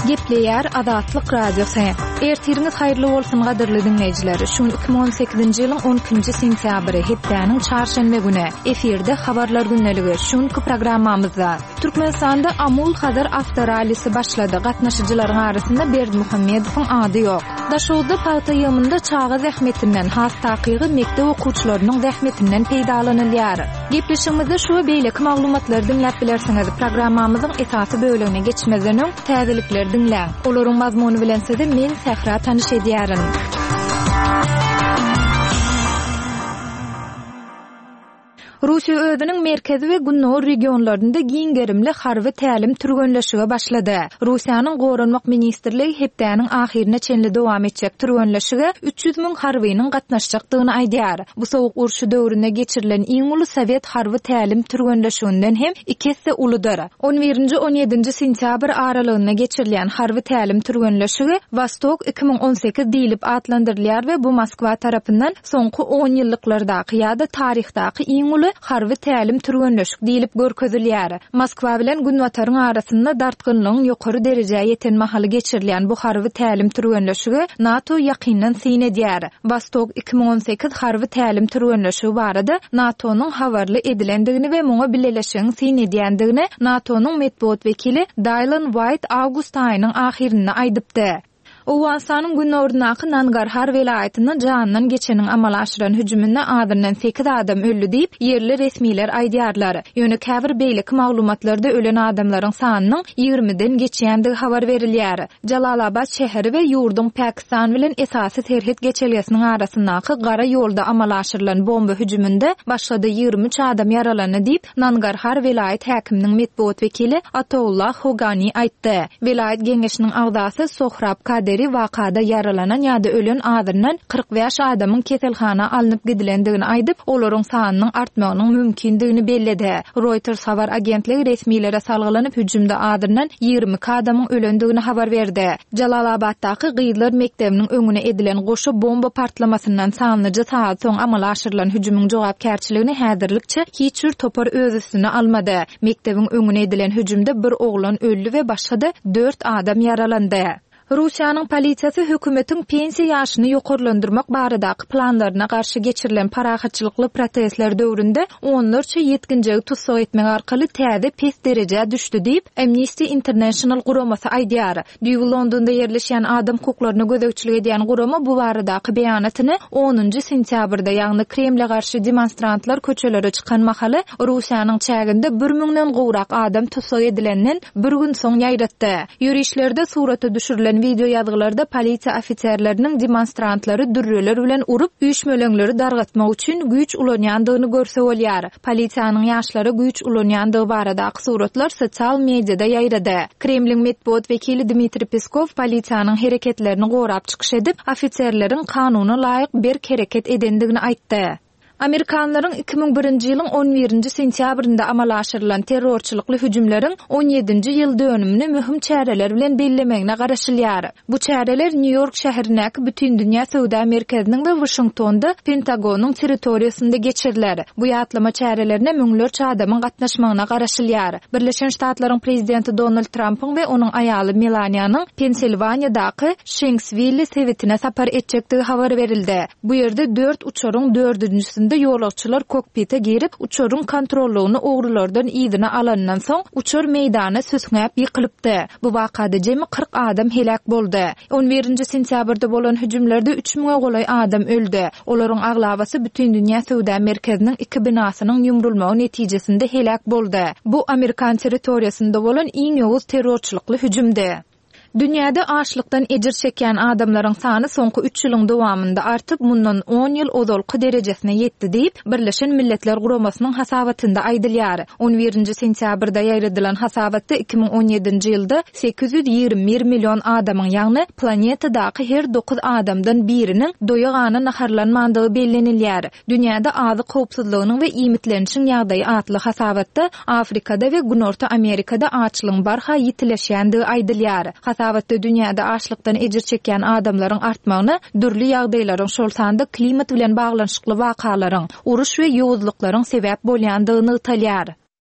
Gepleýär Azatlyk Radiosy. Ertiriňiz haýyrly bolsun gadyrly diňleýjiler. Şu gün 2018-nji ýylyň 12-nji sentýabry, hepdäniň çarşenbe güni. Efirde Habarlar gündeligi. Şu günki programmamyzda Türkmenistanda Amul-Hazar awtorallisi başlady. Gatnaşyjylaryň arasynda Berdimuhamedowyň ady ýok. Daşoguzda pagta ýygymynda çaga zähmetinden, has takygy mekdep okuwçylarynyň zähmetinden peýdalanylýar. Gepleşigimizde şu we beýleki maglumatlary diňläp bilersiňiz. Programmamyzyň esasy bölegine geçmezden öň, täzelikleri diňläň. Olaryň mazmuny bilen sizi men, Sähra tanyş edýärin. Russiýa özüniň merkezi we gündogar regionlarynda giň gerimli harby tälim-türgenleşige başlady. Russiýanyň Goranmak ministrligi hepdäniň ahyryna çenli dowam etjek türgenleşige 300 müň harbynyň gatnaşjakdygyny aýdýar. Bu Sowuk urşy döwründe geçirilen iň uly sowet harby tälim-türgenleşiginden hem iki esse uludyr. On birinji-on ýedinji sentýabr aralygynda geçirilýän harby tälim-türgenleşigi Wostok 2018 diýlip atlandyrylýar we bu Moskwa tarapyndan soňky onýyllyklardaky ýa-da taryhdaky iň uly harby tälim-türgenleşik diýlip görkezilýär. Moskwa bilen Günbataryň arasynda dartgynlygyň ýokary derejä ýeten mahaly geçirilýän bu harby tälim-türgenleşige NATO ýakyndan syn edýär. Wostok 2018 harby tälim-türgenleşigi barada NATO-nyň habarly edilendigini we muňa bileleşigiň syn edýändigini NATO-nyň metbugat wekili Daýlan Waýt awgust aýynyň ahyrynda aýdypdy. Owganystanyň günoryndaky Nangarhar welaýatynda janyndan geçeniň amala aşyran hüjüminde azyndan sekiz adam öldi diýip, ýerli resmiler aýdýarlar. Ýöne käbir beýleki maglumatlarda ölen adamlaryň sanynyň ýigrimiden geçýändigi habar berilýär. Jalalabad şäheri we ýurduň Pakistan bilen esasy serhet geçelgesiniň arasyndaky gara ýolda amala aşyrylan bomba hüjüminde başga-da 23 adam ýaralandy diýip, Nangarhar welaýat häkiminiň metbugat wekili Ataullah Hogani aýtdy. Welaýat geňeşiniň agzasy Sohrab Kaderi wakada ýaralanan ýa-da ölen azyndan 45 adamyň keselhana alnyp gidilendigini aýdyp, olaryň sanynyň artmagynyň mümkindigini belledi. Reuters habar agentligi resmilere salgylanyp, hüjümde azyndan 22 adamyň ölendigini habar berdi. Jalalabatdaky gyzlar mekdebiniň öňüne edilen goşa bomba partlamasyndan sanlyja sagat soň amala aşyrylan hüjümiň jogapkärçiligini häzirlikçe hiç bir topar öz üstüne almady. Mekdebiň öňüne edilen hüjümde bir oglan öldi we başga-da dört adam ýaralandy. Russiýanyň polisiýasy hökümetiň pensiýa ýaşyny ýokarlandyrmak baradaky planlaryna garşy geçirilen parahatçylykly protestler döwründe onlarça ýetginjegi tussag etmek arkaly täze pes derejä düşdi diýip, Amnesty International guramasy aýdýar. Düýbi Londonda ýerleşýän adam hukuklaryna gözegçilik edýän gurama bu baradaky beýanatyny onunjy sentýabrda, ýagny Kremle garşy demonstrantlar köçelere çykan mahaly Russiýanyň çäginde bir müňden gowrak adam tussag edilenden bir gün soň ýaýratdy. Ýörişlerde surata düşürilen wideoýazgylarda polisiýa ofiserleriniň demonstrantlary dürreler bilen urup, üýşmeleňleri dargatmak üçin güýç ulanýandygyny görse bolýar. Polisiýanyň ýaşlara güýç ulanýandygy baradaky suratlar sosial mediada ýaýrady. Kremliň metbugat wekili Dmitriý Peskow polisiýanyň hereketlerini gorap çykyş edip, ofiserleriň kanuna laýyk berk hereket edendigini aýtdy. Amerikanlaryň 2001-nji ýylyň on birinji sentýabrynda amala aşyrylan terrorçylykly hüjümleriň on ýedinji ýyl dönümini möhüm çäreler bilen bellemegine garaşylýar. Bu çäreler Nýu-Ýork şäherindäki Bütindünýä söwda merkeziniň we Waşingtonda Pentagonyň territoriýasynda geçiriler. Bu ýatlama çärelerine müňlerçe adamyň gatnaşmagyna garaşylýar. Birleşen Ştatlaryň Prezidenti Donald Trampyň we onuň aýaly Melaniýanyň Pensilwaniýadaky Şenkswilli sebitine sapar etjekdigi habar berildi. Bu ýerde dört uçaryň dördünjisinde ýolagçylar kokpite girip, uçaryň kontrollygyny ogrulardan yzyna alanyndan soň, uçar meýdana süsňäp ýykylypdy. Bu wakada jemi 40 adam heläk boldy. On birinji sentýabrda bolan hüjümlerde üç müňe golaý adam öldi. Olaryň aglabasy Bütindünýä söwda merkeziniň iki binasynyň ýumrulmagy netijesinde heläk boldy. Bu amerikan territoriýasynda bolan iň ýowuz terrorçylykly hüjümdi. Dünýäde açlykdan ejir çekýän adamlaryň sany soňky üç ýylyň dowamynda artyp, mundan on ýyl ozalky derejesine ýetdi diýip, Birleşen Milletler Guramasynyň hasabatynda aýdylýar. On birinji sentýabrda ýaýradylan hasabatda 2017-nji ýylda 821 million adamyň, ýagny planetadaky her dokuz adamdan biriniň doýa-gana naharlanmandygy bellenilýär. Dünýäde azyk howpsuzlygynyň we iýmitlenişiň ýagdaýy atly hasabatda Afrikada we Günorta Amerikada açlygyň barha ýitileşýändigi aýdylýar. Hasabatda dünýäde açlykdan ejir çekýän adamlaryň artmagyna dürli ýagdaýlaryň, şol sanda klimat bilen baglanyşykly wakalaryň, uruş we ýowuzlyklaryň sebäp bolýandygy nygtalýar.